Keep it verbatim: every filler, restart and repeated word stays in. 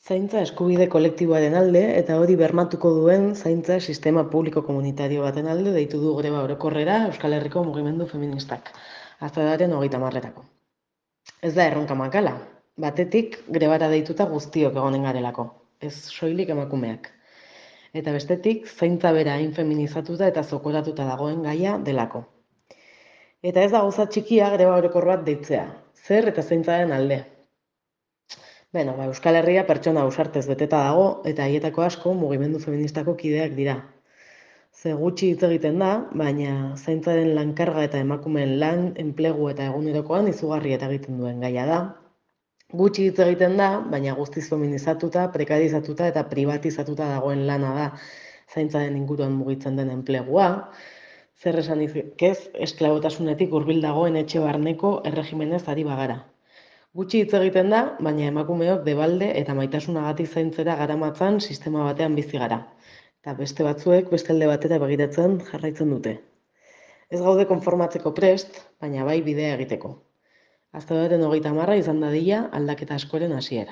Zaintza eskubide kolektiboaren alde eta hori bermatuko duen zaintza sistema publiko komunitario baten alde deitu du greba orokorrera Euskal Herriko mugimendu feministak, azaroaren hogeita hamarerako. Ez da erronka makala, batetik grebara deituta guztiok egonen garelako, ez soilik emakumeak. Eta bestetik, zaintza bera hain feminizatuta eta zokoratuta dagoen gaia delako. Eta ez da gauza txikia greba orokor bat deitzea, zer eta zaintzaren alde. Beno, ba, Euskal Herria pertsona ausartez beteta dago eta haietako asko mugimendu feministako kideak dira. Ze gutxi hitz egiten da, baina zaintzaren lankarga eta emakumeen lan, enplegu eta egunerokoan izugarri eta egiten duen gaia da. Gutxi hitz egiten da, baina guztiz feminizatuta, prekarizatuta eta privatizatuta dagoen lana da zaintzaren inguruan mugitzen den enplegua. Zer esan ez, esklabotasunetik hurbil dagoen etxe barneko erregimenez ari bagara. Gutxi hitz egiten da, baina emakumeok debalde eta maitasunagatik zaintzera garamatzan sistema batean bizi gara. Eta beste batzuek beste alde batera begiratzen jarraitzen dute. Ez gaude konformatzeko prest, baina bai bidea egiteko. Azaroaren hogeita hamarra izan dadila aldaketa askoren hasiera.